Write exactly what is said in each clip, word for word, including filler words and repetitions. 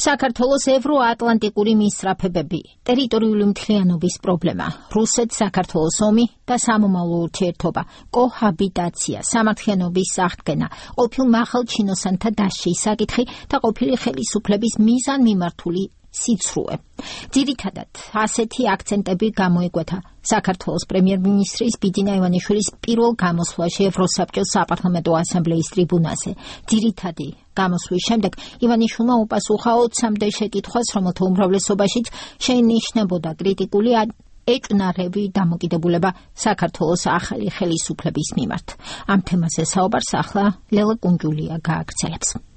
საქართველოს ევროატლანტიკური მისწრაფებები, ტერიტორიული მთლიანობის პრობლემა, რუსეთ-საქართველოს ომი და სამომავლო ურთიერთობა, კოჰაბიტაცია, სამართლიანობის აღდგენა, ყოფილ მაღალჩინოსანთა დასჯის საკითხი და ყოფილი ხელისუფლების მიზანმიმართული სიცრუე. ძირითადად ასეთი აქცენტები გამოიკვეთა საქართველოს პრემიერ-მინისტრის ბიძინა ივანიშვილის პირველ გამოსვლაში ევროსაბჭოს საპარლამენტო ასამბლეის ტრიბუნაზე. ძირითადი გამოსვლის შემდეგ ივანიშვილმა უპასუხა ოცამდე შეკითხვას, რომელთა უმრავლესობაშიც შეინიშნებოდა კრიტიკული ეჭვნარევი დამოკიდებულება საქართველოს ახალი ხელისუფლების მიმართ. ამ თემაზე საუბარს ახლა ლელა კუნჯულია გააგრძელებს.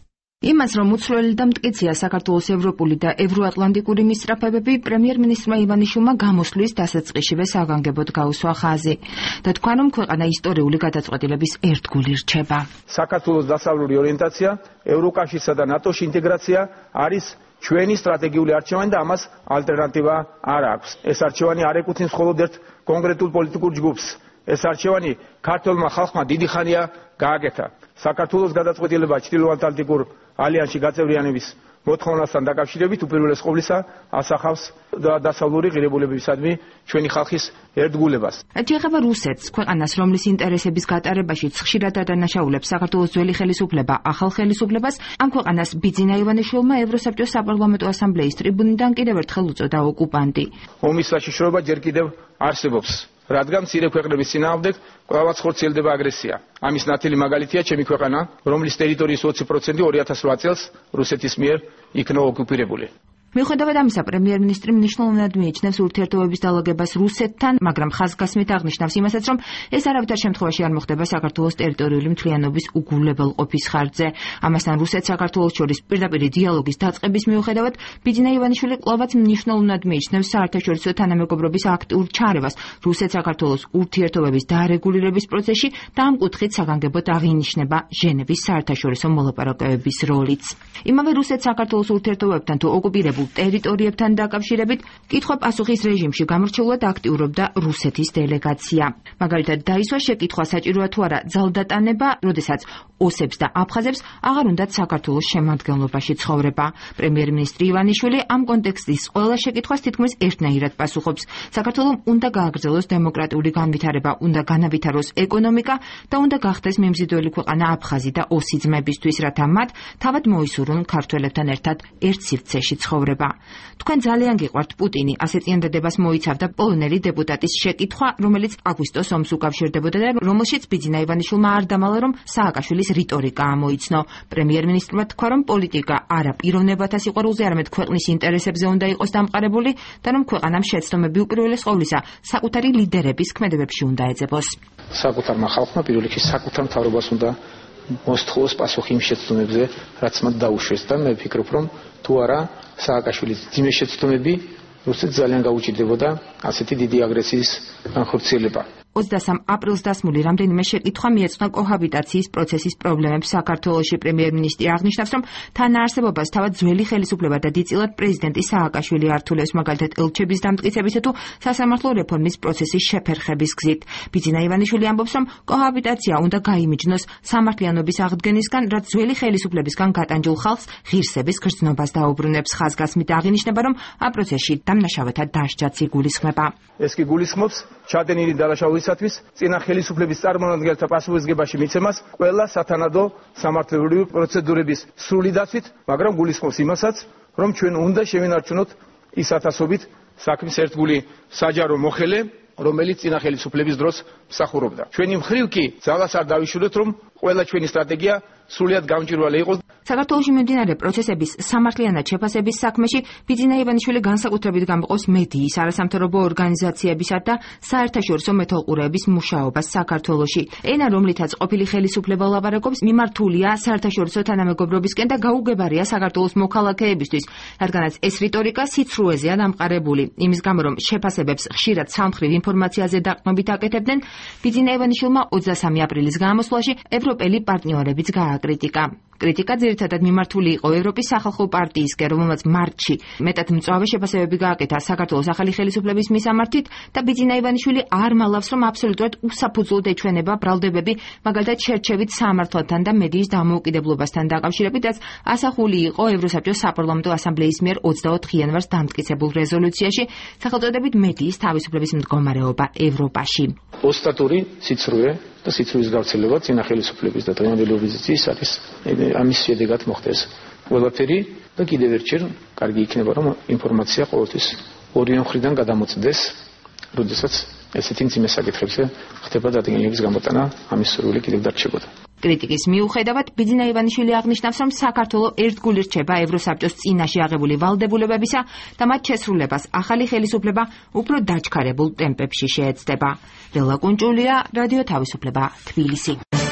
იმას, რომ უცვლელი და მტკიცეა საქართველოს ევროპული და ევროატლანტიკური მისწრაფებები, პრემიერ-მინისტრმა ივანიშვილმა გამოსვლის დასაწყისშივე საგანგებოდ გაუსვა ხაზი და თქვა, რომ ქვეყანა ისტორიული გადაწყვეტილების ერთგული რჩება. საქართველოს დასავლური ორიენტაცია, ევროკავშირსა და ნატოში ინტეგრაცია არის ჩვენი სტრატეგიული არჩევანი და ამას ალტერნატივა არ აქვს. ეს არჩევანი არ ეკუთვნის მხოლოდ ერთ კონკრეტულ პოლიტიკურ ჯგუფს. ეს არჩევანი ქართველმა ხალხმა დიდი ხანია გააკეთა. საქართველოს გადაწყვეტილება ჩრდილოატლანტიკურ ალიანსში გაწევრიანების მოთხოვნასთან დაკავშირებით უპირველეს ყოვლისა ასახავს დასავლური ღირებულებებისადმი ჩვენი ხალხის ერთგულებას. რაც ეხება რუსეთს, ქვეყანას, რომლის ინტერესების გატარებაში ხშირად ადანაშაულებს საქართველოს ძველი ხელისუფლება ახალ ხელისუფლებას, ამ ქვეყანას ბიძინა ივანიშვილმა ევროსაბჭოს საპარლამენტო ასამბლეის ტრიბუნიდან კიდევ ერთხელ უწოდა ოკუპანტი. ომის საშიშროება ჯერ კიდევ არსებობს. რადგან მცირე ქვეყნების წინააღმდეგ კვლავაც ხორციელდება აგრესია. ამის ნათელი მაგალითია ჩემი ქვეყანა, რომლის ტერიტორიის ოცი პროცენტი ორი ათას რვა წელს რუსეთის მიერ იქნა ოკუპირებული. მიუხედავად ამისა, პრემიერ-მინისტრი მნიშვნელოვნად მიიჩნევს ურთიერთობების დალაგებას რუსეთთან, მაგრამ ხაზგასმით აღნიშნავს იმასაც, რომ ეს არავითარ შემთხვევაში არ მოხდება საქართველოს ტერიტორიული მთლიანობის უგულებელყოფის ხარჯზე. ამასთან რუსეთს საქართველოს შორის პირდაპირი დიალოგის დაწყების მიუხედავად, ბიძინა ივანიშვილი კვლავაც მნიშვნელოვნად მიიჩნევს საერთაშორისო თანამეგობრობის აქტიურ ჩარევას რუსეთ-საქართველოს ურთიერთობების დარეგულირების პროცესში და ამ კუთხით საგანგებოდ აღინიშნება ჟენევის საერთაშორისო მოლაპარაკებების როლიც. იმავე რუსეთ-საქართველოს ურთიერთობებთან თუ ოკუპირებულ ტერიტორიებთან დაკავშირებით კითხვა-პასუხის რეჟიმში გამორჩეულად აქტიურობდა რუსეთის დელეგაცია. მაგალითად, დაისვა შეკითხვა საჭიროა თუ არა ძალდატანება, როდესაც ოსებს და აფხაზებს აღარ უნდათ საქართველოს შემადგენლობაში ცხოვრება. პრემიერ-მინისტრი ივანიშვილი ამ კონტექსტის ყველა შეკითხვას თითქმის ერთნაირად პასუხობს. საქართველოს უნდა გააგრძელოს დემოკრატიული განვითარება, უნდა განავითაროს ეკონომიკა და უნდა გახდეს მიმზიდველი ქვეყანა აფხაზი და ოსი ძმებისთვის, რათა მათ თავად მოისურვონ ქართველებთან ერთად ერთ სივრცეში ცხოვრება. თქვენ ძალიან გიყვართ პუტინი, ასე წინადადებას მოიცავდა პოლონელი დეპუტატის შეკითხვა, რომელიც აგვისტოს ომს უკავშირდებოდა და რომელშიც ბიძინა ივანიშვილმა არ დამალა, რომ სააკაშვილის რიტორიკა ამოიცნო. პრემიერ-მინისტრმა თქვა, რომ პოლიტიკა არა პიროვნებათა სიყვარულზე, არამედ ქვეყნის ინტერესებზე უნდა იყოს დამყარებული და რომ ქვეყანამ შეცდომები უპირველეს ყოვლისა საკუთარი ლიდერების ქმედებებში უნდა ეძებოს. საკუთარმა ხალხმა პირველ რიგში საკუთარ მთავრობას უნდა მოსთხოვოს პასუხი იმ შეცდომებზე, რაც მათ დაუშვეს და მე ვფიქრობ, რომ თუ არა სააკაშვილის ძიმე შეცდომები რუსეთს ძალიან გაუჭირდებოდა ასეთი დიდი აგრესიის განხორციელება. ოცდასამ აპრილს დასმული რამდენიმე შეკითხვა მიეძღვნა კოჰაბიტაციის პროცესის პრობლემებს საქართველოში. პრემიერ-მინისტრი აღნიშნავს, რომ თანაარსებობას თავად ძველი ხელისუფლება და დიდწილად პრეზიდენტი სააკაშვილი ართულებს, მაგალითად ელჩების დამტკიცებისა თუ სასამართლო რეფორმის პროცესის შეფერხების გზით. ბიძინა ივანიშვილი ამბობს, რომ კოჰაბიტაცია უნდა გაიმიჯნოს სამართლიანობის აღდგენისგან, რაც ძველი ხელისუფლებისგან გატანჯულ ხალხს ღირსების გრძნობას დაუბრუნებს. ხაზგასმით აღინიშნება, რომ ამ პროცესში დამნაშავეთა დასჯაც იგულისხმება. ეს კი გულისხმობს ჩადენილი დანაშაულისათვის წინა ხელისუფლების წარმომადგენელთა პასუხისმგებაში მიცემას ყველა სათანადო სამართლებრივი პროცედურების სრული დაცვით, მაგრამ გულისხმობს იმასაც, რომ ჩვენ უნდა შევინარჩუნოთ ის ათასობით საქმის ერთგული საჯარო მოხელე, რომელიც წინა ხელისუფლების დროს მსახურობდა. ჩვენი მხრივ კი ძალას არ დავიშურეთ, რომ ყველა ჩვენი სტრატეგია სრულიად გამჭვირვალე იყოს. საქართველოში მიმდინარე პროცესების სამართლიანად შეფასების საქმეში ბიძინა ივანიშვილი განსაკუთრებით გამყავს მედიის, არასამთავრობო ორგანიზაციებისა და საერთაშორისო მეთვალყურეების მუშაობას საქართველოში. ენა, რომლითაც ყოფილი ხელისუფლება ლაპარაკობს, მიმართულია საერთაშორისო თანამეგობრობისკენ და გაუგებარია საქართველოს მოქალაქეებისთვის, რადგანაც ეს რიტორიკა სიცრუეზეა დამყარებული. იმის გამო, რომ შეფასებებს ხშირად სამხრივ ინფორმაციაზე დაყრდნობით აკეთებდნენ, ბიძინა ივანიშვილმა ოცდასამი აპრილის გამოსვლაში ევროპელი პარტნიორებიც გააკრიტიკა. კრიტიკა ძირითადად მიმართული იყო ევროპის სახალხო პარტიისკენ, რომელმაც მარტში მეტად მწვავე შეფასებები გააკეთა საქართველოს ახალი ხელისუფლების მისამართით და ბიძინა ივანიშვილი არ მალავს, რომ აბსოლუტურად უსაფუძვლოდ ეჩვენება ბრალდებები, მაგალითად შერჩევით სამართლთან და მედიის დამოუკიდებლობასთან დაკავშირებით, რაც ასახული იყო ევროსაბჭოს საპარლამენტო ასამბლეის მიერ ოცდაოთხ იანვარს დამტკიცებულ რეზოლუციაში, სახელწოდებით მედიის თავისუფლების მდგომარეობა ევროპაში. ოსტატური სიცრუე და სიცრუის გავრცელება წინა ხელისუფლების და დღევანდელი ოპოზიციის არის ამის შედეგად მოხდეს. ყველაფერი და კიდევ ერთხელ კარგი იქნება, რომ ინფორმაცია ყოველთვის ორივე მხრიდან გადამოწდეს, როდესაც ესეთი მძიმე საკითხებზე ხდება დადგენილების გამოტანა, ამის სურვილი კიდევ დარჩებოდა. კრიტიკის მიუხედავად, ბიძინა ივანიშვილი აღნიშნავს, რომ საქართველო ერთგული რჩება ევროსაბჭოს წინაშე აღებული ვალდებულებებისა და მათ შესრულებას ახალი ხელისუფლება უფრო დაჩქარებულ ტემპებში შეეცდება. ბელა კუნჭულია, რადიო თავისუფლება, თბილისი.